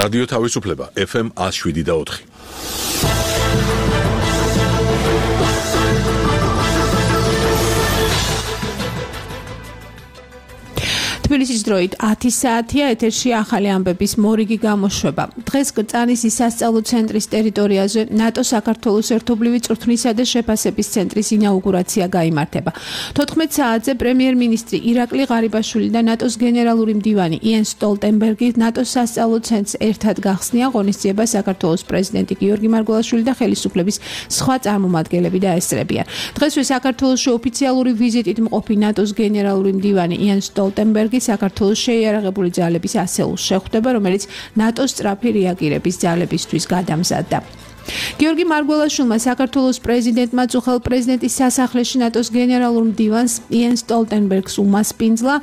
რადიო თავისუფლება FM 107.4. თბილისის დროით 10 საათია, ეთერში ახალი ამბების მორიგი გამოშვება. დღეს კრწანისის სასწავლო ცენტრის ტერიტორიაზე ნატოს საქართველოს ერთობლივი წვრთნისა და შეფასების ცენტრის ინაუგურაცია გაიმართება. 14 საათზე პრემიერ-მინისტრი ირაკლი ღარიბაშვილი და ნატოს გენერალური მდივანი იენს სტოლტენბერგი ნატოს სასწავლო ცენტრს ერთად გახსნიან ღონისძიებას საქართველოს პრეზიდენტი გიორგი მარგველაშვილი და ხელისუფლების სხვა წარმომადგენლები დაესწრებიან. დღესვე საქართველოში ოფიციალური ვიზიტით მყოფი ნატოს გენერალური მდივანი იენს სტოლტენბერგი საქართველოს შეიარაღებული ძალების ასეულს შეხვდება, რომელიც ნატოს სწრაფი რეაგირების ძალებისთვის გადამზადდა. გიორგი მარგველაშვილმა საქართველოს პრეზიდენტმა წუხელ პრეზიდენტის სასახლეში ნატოს გენერალურ მდივანს იენს სტოლტენბერგს უმასპინძლა.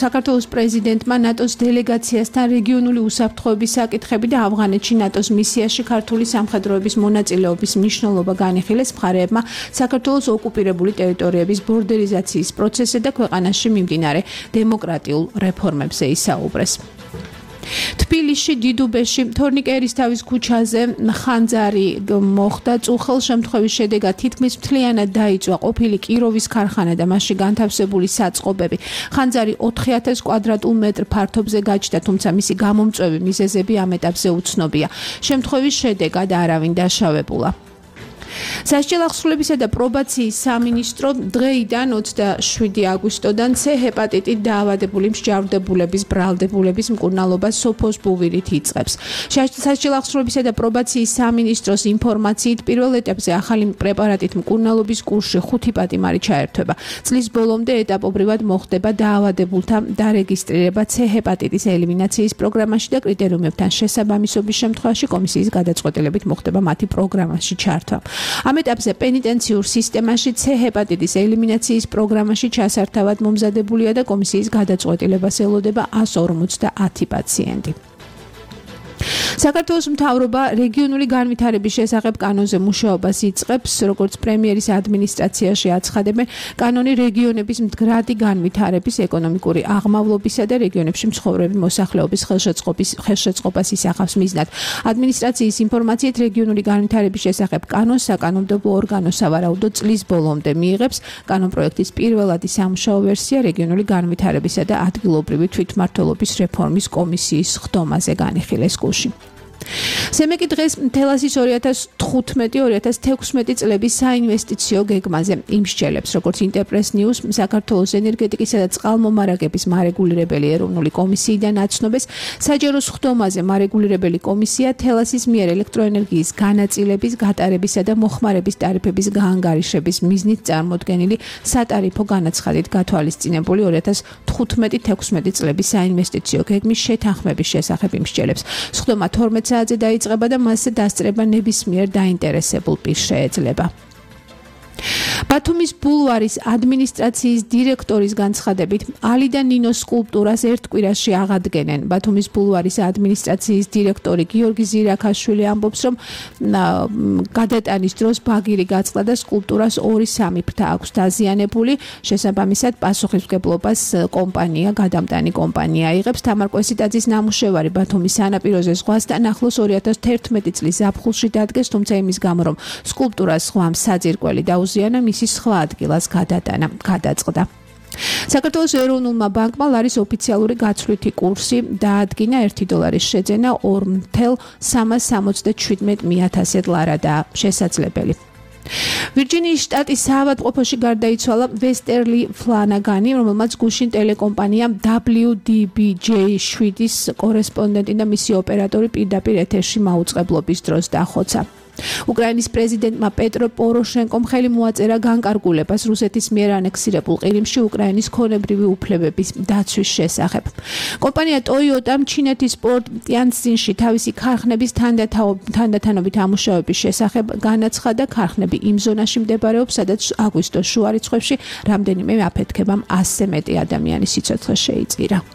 საქართველოს პრეზიდენტმა ნატოს დელეგაციასთან რეგიონული უსაფრთხოების საკითხები და ავღანეთში ნატოს მისიაში ქართული სამხედროების მონაწილეობის მნიშვნელობა განიხილეს. მხარეებმა საქართველოს ოკუპირებული ტერიტორიების ბორდერიზაციის პროცესზე და ქვეყანაში მიმდინარე დემოკრატიულ რეფორმებზე ისაუბრეს. თბილისში დიდუბეში თორნიკე ერისთავის ქუჩაზე ხანძარი მოხდა. წუხელ შემთხვევის შედეგად თითქმის მთლიანად დაიწვა ყოფილი კიროვის ქარხანა და მასში განთავსებული საწყობები. ხანძარი 4000 კვადრატულ მეტრ ფართობზე გაჩნდა, თუმცა მისი გამომწვევი მიზეზები ამ ეტაპზე უცნობია. შემთხვევის შედეგად არავინ დაშავებულა. სასჯელ ახსრულებისა და პრობაციის სამინისტრო დღეიდან 27 აგვისტოდან C ჰეპატიტით დაავადებული მსჯავრდებულების ბრალდებულების მკურნალობას სოფოს ბუვირით იწყებს. სასჯელ ახსრულებისა და პრობაციის სამინისტროს ინფორმაციით პირველ ეტაპზე ახალი პრეპარატით მკურნალობის კურსში 5 პატიმარი ჩაერთვება. წლის ბოლომდე ეტაპობრივად მოხდება დაავადებულთა დარეგისტრირება C ჰეპატიტის ელიმინაციის პროგრამაში და კრიტერიუმებთან შესაბამისობის შემთხვევაში კომისიის გადაწყვეტილებით მოხდება მათი პროგრამაში ჩართვა. ამ ეტაპზე პენიტენციურ სისტემაში C ჰეპატიტის ელიმინაციის პროგრამაში ჩასართავად მომზადებულია და კომისიის გადაწყვეტილებას ელოდება 150 პაციენტი. საქართველოს მთავრობა რეგიონული განვითარების შესახებ კანონზე მუშაობას იწყებს, როგორც პრემიერის ადმინისტრაციაში აცხადებენ. კანონი რეგიონების მდგრადი განვითარების, ეკონომიკური აღმავლობისა და რეგიონებში მცხოვრები მოსახლეობის ხელშეწყობას ისახავს მიზნად. ადმინისტრაციის ინფორმაციით რეგიონული განვითარების შესახებ კანონს საკანონმდებლო ორგანო სავარაუდოდ წლის ბოლომდე მიიღებს. კანონპროექტის პირველადი სამუშაო ვერსია რეგიონული განვითარებისა და ადგილობრივი თვითმმართველობის რეფორმის კომისიის ხდომაზე განიხილეს გულში. სემეკი დღეს თელასის 2015-2016 წლების საინვესტიციო გეგმაზე იმსჯელებს, როგორც ინტერპრეს ნიუს საქართველოს ენერგეტიკისა და წყალმომარაგების მარეგულირებელი ეროვნული კომისიიდან აცნობეს. საჯარო სხდომაზე მარეგულირებელი კომისია თელასის მიერ ელექტროენერგიის განაწილების, გატარებისა და მოხმარების ტარიფების გაანგარიშების მიზნით წარმოდგენილი სატარიფო განაცხადით გათვალისწინებული 2015-16 წლების საინვესტიციო გეგმის შეთანხმების შესახებ იმსჯელებს. სხდომა 12 საათზე დაიწყება და მასზე დასწრება ნებისმიერ დაინტერესებულ პირს შეეძლება. ბათუმის ბულვარის ადმინისტრაციის დირექტორის განცხადებით, ალი და ნინოს სკულპტურას ერთ კვირაში აღადგენენ. ბათუმის ბულვარის ადმინისტრაციის დირექტორი გიორგი ზირაქაშვილი ამბობს, რომ გადატანის დროს ბაგირი გაწყდა და სკულპტურას 2-3 ფრთა აქვს დაზიანებული. შესაბამისად, პასუხისმგებლობას გადამტანი კომპანია იღებს. თამარ კვესიტაძის ნამუშევარი ბათუმის სანაპიროზე ზღვასთან ახლოს 2011 წლის ზაფხულში დადგეს, თუმცა იმის გამო, რომ სკულპტურას ზღვამ საძირკველი დაუზიანა, მისი სხვა ადგილას გადაწყდა. საქართველოს ეროვნულმა ბანკმა ლარის ოფიციალური გაცვლითი კურსი დაადგინა. $1 შეძენა 2,377 ლარადაა შესაძლებელი. ვირჯინიის შტატის საავადმყოფოში გარდაიცვალა ვესტერლი ფლანაგანი, რომელმაც გუშინ ტელეკომპანია WDBJ7-ის კორესპონდენტი და მისი ოპერატორი პირდაპირ ეთერში მაუწყებლობის დროს დახოცა. უკრაინის პრეზიდენტმა პეტრო პოროშენკომ ხელი მოაწერა განკარგულებას რუსეთის მიერ ანექსირებულ ყირიმში უკრაინის ქონებრივი უფლებების დაცვის შესახებ. კომპანია ტოიოტამ ჩინეთის პორტ ტიანცინში თავისი ქარხნების თანდათანობით ამუშავების შესახებ განაცხადა. ქარხნები იმ ზონაში მდებარეობს, სადაც აგვისტოს შუა რიცხვებში რამდენიმე აფეთქებამ 100-ზე მეტი ადამიანის სიცოცხლე შეიწირა.